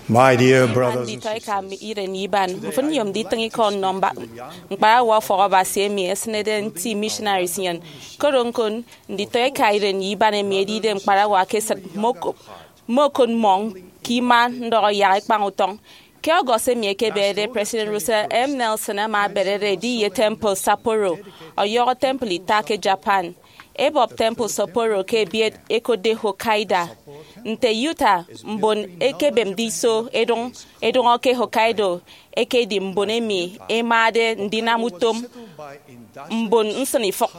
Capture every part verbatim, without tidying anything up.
My dear brothers and sisters, nditọ eka iren ye iban, mfịn nyom nditịñ ikọ nnọ mba- ñkparawa ufọk Abasi emi esịnede nti missionaries nnyịn. Koro ñko, nditọ eka iren ye iban emi ẹdide ñkparawa ke esịt, mmokop mmọ ke ima ndọhọ yak ẹkpañ utọñ. Ke August emi ekeberede, President Russell M. Nelson ama aberere edi ye temple Sapporo, ọyọhọ temple ita ke Japan. Ebọp temple Sapporo ke ebiet ekotde Hokkaido. Nte Utah, mbon ekebemde iso edụñ edụñọ ke Hokkaido ekedi mbon emi ẹmade ndinam utom mbon nsịnifịk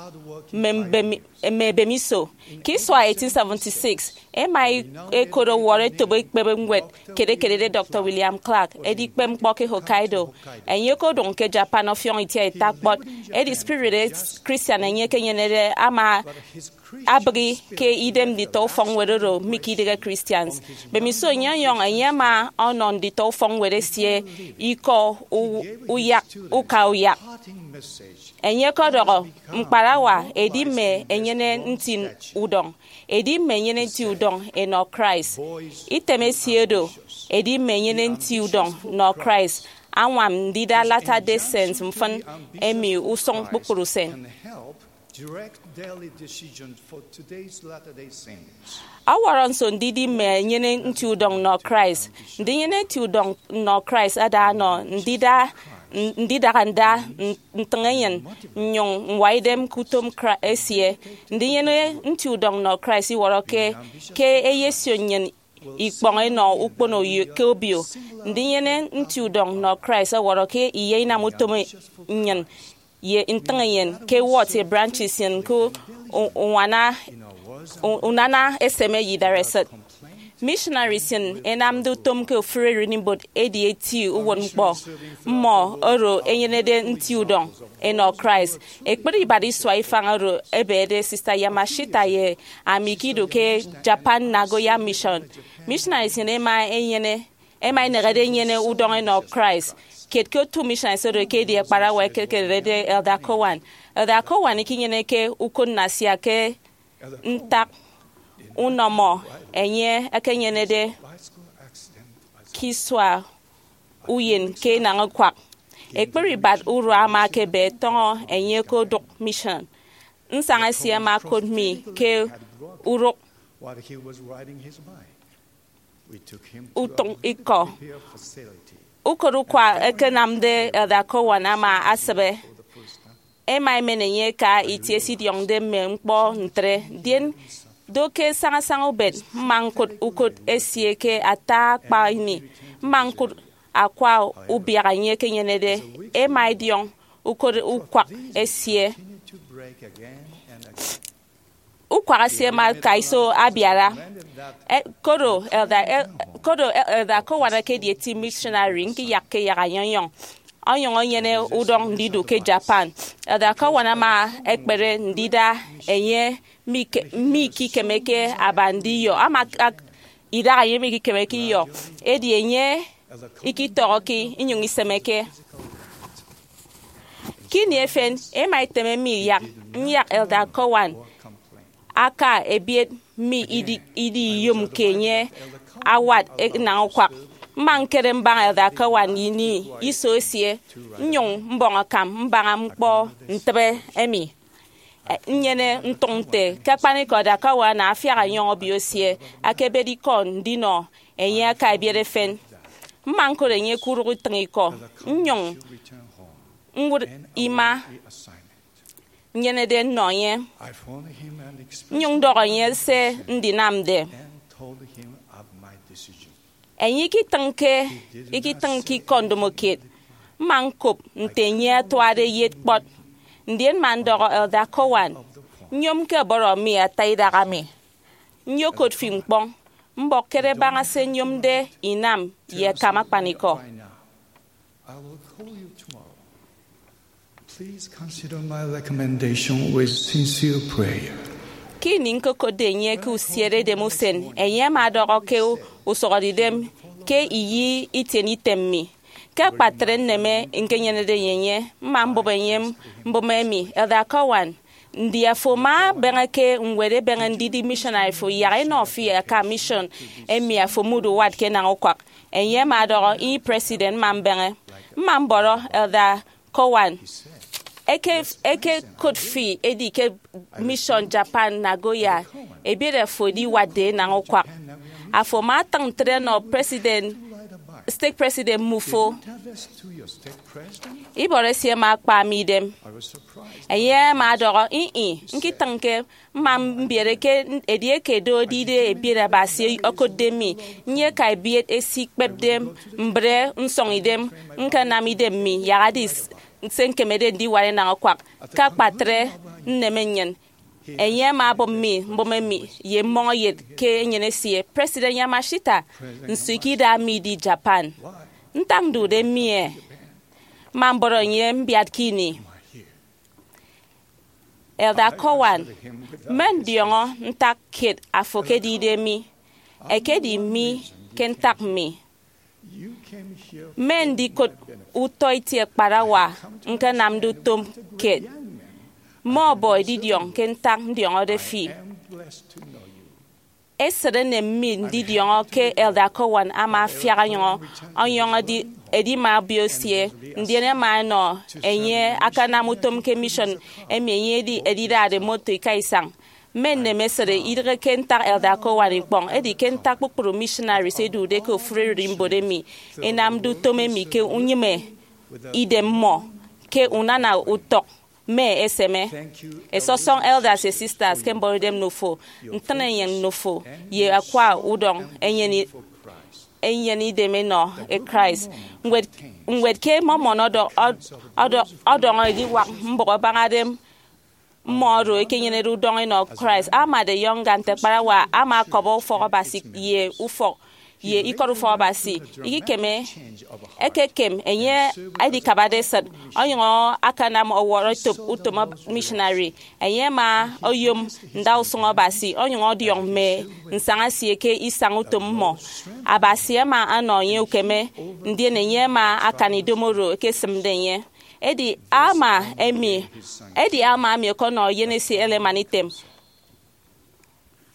mme mbemi- mme ebemiso. Ke isua eighteen seventy-six, ẹma ẹkot ọwọrọ etop ekpep ñwed kiet ekedide Doctor William Clark, edikpep ñkpọ ke Hokkaido. Enye okodụñ ke Japan ọfiọñ itiaita kpọt, edi spirit Christian enye ekenyenede ama abịghi ke idem nditọ ufọkñwed oro mikidịghe Christians. Mbemiso enye ọnyọñ, enye ama ọnọ nditọ ufọkñwed esie ikọ u- uyak uka uyak. Enye ọkọdọhọ, ñkparawa edi mme enyene nti udọñ, edi mme enyene nti udọñ ẹnọ Christ. Item esie do, edi mme enyene nti udọñ nnọ Christ, añwam ndida Latter-day Saints mfịn emi usụñ kpukpru usen. Direct daily decisions for today's Latter-day Saints. Ọwọrọ nso ndidi mme enyene nti udọñ nnọ Christ? Ndinyene nti udọñ nnọ Christ ada ọnọ ndida ndidaha nda ntịñ enyịn nnyụñ ñwa idem ke utom Christ esie. Ndinyene nti udọñ nnọ Christ iwọrọ ke ke eyesio nnyịn ikpọñ ẹnọ ukpono ke obio. Ndinyene nti udọñ nnọ Christ ọwọrọ ke iye inam utom nnyịn ye ntịñ enyịn ke wọt ye branches nnyịn ke u- uñwana u- unana eseme ye idareset. Missionaries nnyịn ẹnamde utom ke ofụri ererimbot edi eti uwụtñkpọ. Mmọ oro ẹnyenede nti udọñ ẹnọ Christ. Ekpri ibat isua ifañ oro ẹbede Sister Yamashita ye ami ke ido ke Japan Nagoya Mission. Missionaries nnyịn ẹma ẹnyene ẹma ẹnehede ẹnyene udọñ ẹnọ Christ. Kiet ke otu missionaries oro ekedi akparawa ekekerede Elder Cowan. Elder Cowan ikinyeneke ukot nnasia ke ntak unọmọ enye ekenyenede ke isua uyen ke inañ ukwak. Ekpri ibat urua ama ekebe tọñọ enye ke odụk mission. Nsaña esie ama okot mi ke urụk While he was riding his bike, we took him to utịñ a ikọ. Repair facility. Ukot ukwak ẹkenamde Elder Cowan ama asịbe. Ẹma ẹmen enye ẹka itie ẹsidiọñde mme ñkpọ ntre, ndien do ke sañasaña ubet mma ñkụt ukot esie ke ata akpa ini. Mma ñkụt akwa ubiak enye ekenyenede. Ẹma ẹdiọñ ukot ukwak esie. Continued to break again and again. Ukwak esie ama aka iso abiara. E, koro Elder, e, koro Elder Cowan ekedi eti missionary, ñkiyakke yak anyọnyọñ onyụñ enyene udọñ ndidu ke Japan. Elder Cowan ama ekpere ndida enye mike- mikikemeke aba ndiyọ. Ama ak- idaha enye mikikemeke iyọ. Edi enye ikitọhọke inyụñ isemeke. Ke ini efen, ẹma ẹteme mi yak nyak Elder Cowan aka ebiet mi idi- idi iyom ke enye awat enañ ukwak. Mma ñkere mbaña Elder Cowan ini iso esie, nnyụñ mbọñ akam mbaña ñkpọ ntịbe emi. E, nnyene ntụñ nte ke akpanikọ Elder Cowan afiak enyọñ obio esie akebede ikọ ndinọ enye aka ebiet efen. Mma ñkot enye ke urụk itịñ ikọ, nnyụñ ñwụt ima nnyenede nnọ enye. Nnyụñ ndọhọ enye se ndinamde. Enye ikitịñke ikitịñke ikọ ndomokiet. Mma ñkop nte enye atuade eyet kpọt. Ndien mma ndọhọ Elder Cowan, nyomke ọbọrọ mi ata idaha mi. Nyokot fi ñkpọñ, mbọk kere baña se nyomde inam ye akam akpanikọ. I will call you tomorrow. Please consider my recommendation with sincere prayer. Ke ini ñkokotde enye ke usiere edem usen, enye ama ọdọhọ ke usụhọde idem ke iyi itiene item mi. Ke akpatre nneme ñkenyenede ye enye, mma mbụp enye mbụme emi, Elder Cowan, Ndi afo ama abeñe ke ñwed ebeñe ndidi missionary fo yak enọ fi aka mission emi afo mude uwat ke enañ-ukwak? Enye ama ọdọhọ, Ih, President, mma mbeñe. Mma mbọrọ Elder Cowan, Eke, eke kot fi edi ke Mission Japan Nagoya, ebiet afo ediwatde enañ-ukwak. Afo ama atịñ ntre nọ president, stake president mmufo. Ibọrọ esie ama akpa mi idem. Enye ama ọdọhọ, Ih, ih, ñkitịñke. Mma mbiere ke edieke do edide ebiet Abasi okotde mi, nyeka ebiet esikpepde mbre nsọñ idem, ñkanam idem mi yak edi s-, se ñkemede ndiwat enañ-ukwak. Ke akpatre, nneme nnyịn. Enye ama obụp mi mbụme mi ye mmọñeyet ke enyịn esie, President Yamashita, nso ikida mi idi Japan? Ntak ndude mi e? Mma mbọrọ enye mbiat ke ini. Elder Cowan, mme ndiọñọ ntak kiet afo ekedide mi, ekedi mi ke ntak mi. Mme ndikot utọ itie kparawa ñkanamde utom kiet, mme ọbọ edidiọñ ke ntak ndiọñọde fi. Esịt enem mi ndidiọñọ ke Elder Cowan ama afiak ọnyọñ, ọnyọñ edi, edima obio esie, ndien ẹma ẹnọ enye akanam utom ke mission emi enye edi, edidade moto ika isañ. Mme nnem esịt idịghe ke ntak Elder Cowan ikpọñ, edi ke ntak kpukpru missionaries ẹdude ke ofụri ererimbot emi ẹnamde utom emi ke unyịme idem mmọ ke unana utọk mme eseme. Ẹsọsọñ elders ye sisters ke mbọrọidem nnọ fo, ntịñenyịn nnọ fo, ye akwa udọñ enyene, enyene idem enọ e Christ. Ñwed, ñwed ke Mormon ọdọ-, ọd-, ọdọ-, ọdọñọ ediwak mbụk abañade mmọ oro ẹkenyenede udọñ enọ Christ. Amade Younger nte akparawa ama akọbọ ufọk Abasi ye ufọk ye ikọt ufọk Abasi. Ikikeme, ekekem enye edikabade esịt, onyụñ akanam ọwọrọetop utom missionary. Enye ama oyom ndausụñ Abasi, onyụñ ọdiọñ mme nsaña esie ke isañ utom mmọ. Abasi ama ọnọ enye ukeme, ndien enye ama akan idomo oro ekesịmde enye. Edi Alma emi, edi Alma emi ọkọnọ eyen esie Helaman item.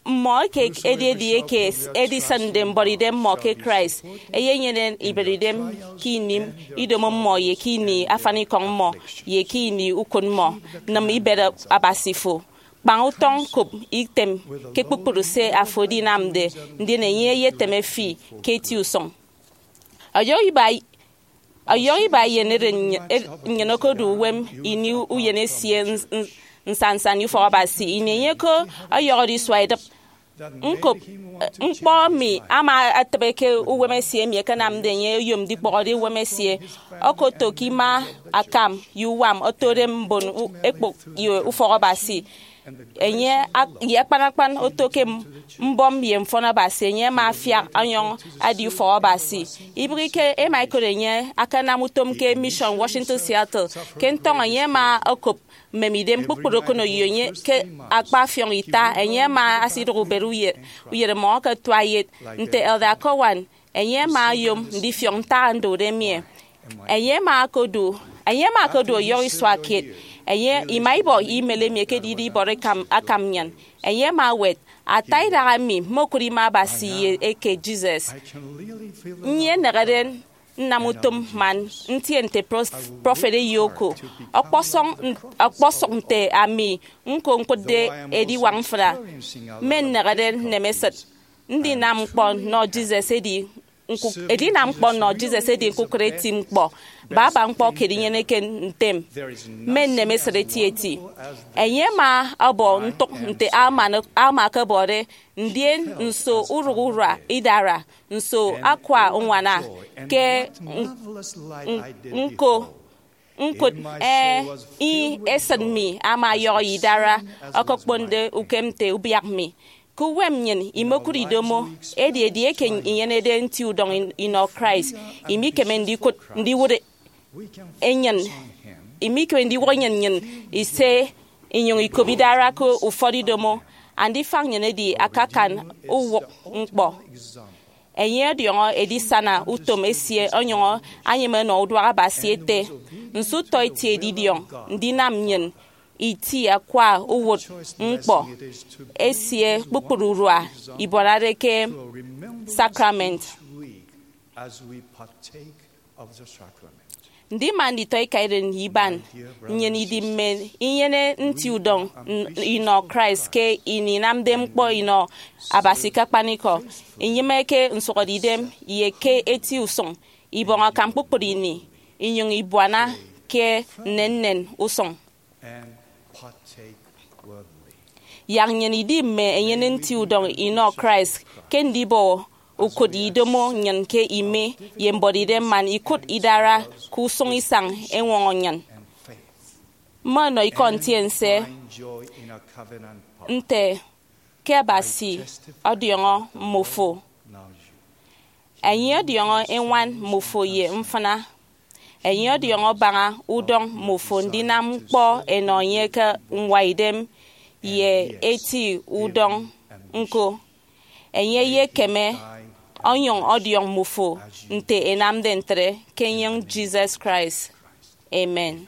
Mmọ eke edi edieke edisịnde mbọrọidem mmọ ke Christ, ẹyenyene ibereidem ke ini idomo mmọ ye ke ini afanikọñ mmọ ye ke ini ukot mmọ. Nịm ibet Abasi fo. Kpañ utọñ, kop item ke kpukpru se afo edinamde, ndien enye eyeteme fi ke eti usụñ. Ọyọhọ iba, ọyọhọ iba eyenete nny-, e-, nnyịn okodu uwem ini uyen esie ns-, ns-, nsannsan ye ufọk Abasi. Ini enye ko ọyọhọde isua idịp, ñkop, eh, ñkpọ emi ama etịbe ke uwem esie emi ẹkenamde enye oyom ndikpọhọde uwem esie. Okoto ke ima akam ye uwam otode mbon u-, ekpụk ye ufọk Abasi. Enye ak-, ye akpan akpan oto ke m-, mbọm ye mfọn Abasi, enye ama afiak ọnyọñ adi ufọk Abasi. Ibịghike, ẹma ẹkot enye akanam utom ke Mission Washington Seattle. Ke ntọñọ, enye ama okop mmemidem kpukpru okoneyo enye ke akpa afiọñ ita. Enye ama asidụk ubet uye-, uyeremọñ eke tuaiyet. Nte Elder Cowan, enye ama oyom ndifiọk ntak ndude mi e. Enye ama okodu, enye ama okodu ọyọhọ isua kiet. Enye ima ibọ email emi ekedide ibọrọ akam, akam nnyịn. Enye ama ewet, Ata idaha mi, mmokụt ima Abasi ye eke Jesus. Nnyịn inịkede nnam utom man ntie nte pros-, prọfet eyo oko. Ọkpọsọñ, ọkpọsọñ nte ami ñko ñkụtde ediwak mfịna. Mme nnịkede nnem esịt. Ndinam ñkpọ nnọ Jesus edi ñkuk-, edinam ñkpọ nnọ Jesus edi ñkukụre eti ñkpọ. Baba ñkpọ kiet inyeneke ntem. Mme nnem esịt etieti. Enye ama ọbọ ntụk nte Alma, Alma ọkọbọde, ndien nso urụk urua idara, nso akwa uñwana ke n-, n-, ñko ñkụt, eh, ih, esịt mi ama ọyọhọ ye idara, ọkọkponde ukem nte ubiak mi. Ke uwem nnyịn imokụt idomo, edi edieke inyenede nti udọñ in-, inọ Christ, imikeme ndikụt ndiwụt enyịn, imikeme ndiwụt enyịn nnyịn ise, inyụñ ikop idara ke ufọt idomo. Andifañ nnyịn edi akakan uwụk ñkpọ. Enye ọdiọñọ edisana utom esie onyụñ anyịme ọnọ uduak Abasi ete, Nso utọ itie edidiọñ ndinam nnyịn iti akwa uwụtñkpọ esie kpukpru urua ibuanade ke sakrament. Ndima nditọ ikaeren ye iban, nnyịn idi mme inyene nti udọñ n- inọ Christ ke ini inamde ñkpọ inọ Abasi ke akpanikọ, inyịme ke nsụhọdeidem ye ke eti usụñ, ibọñ akam kpukpru ini, inyụñ ibuana ke nnennen usụñ. Yak nnyịn idi mme enyene nti udọñ inọ Christ ke ndibọ ukụt idomo nnyịn ke ime ye mbuọtidem man ikụt idara ke usụñ isañ eñwọñọ nnyịn. Mmọnọ ikọ ntiense nte ke Abasi ọdiọñọ mmofo. Enye ọdiọñọ eñwan mmofo ye mfịna. Enye ọdiọñọ baña udọñ mmofo ndinam ñkpọ ẹnọ enye ke ñwaidem ye eti udọñ ñko. Enye eyekeme ọnyụñ ọdiọñ mmofo nte enamde ntre ke enyịñ Jesus Christ. Amen.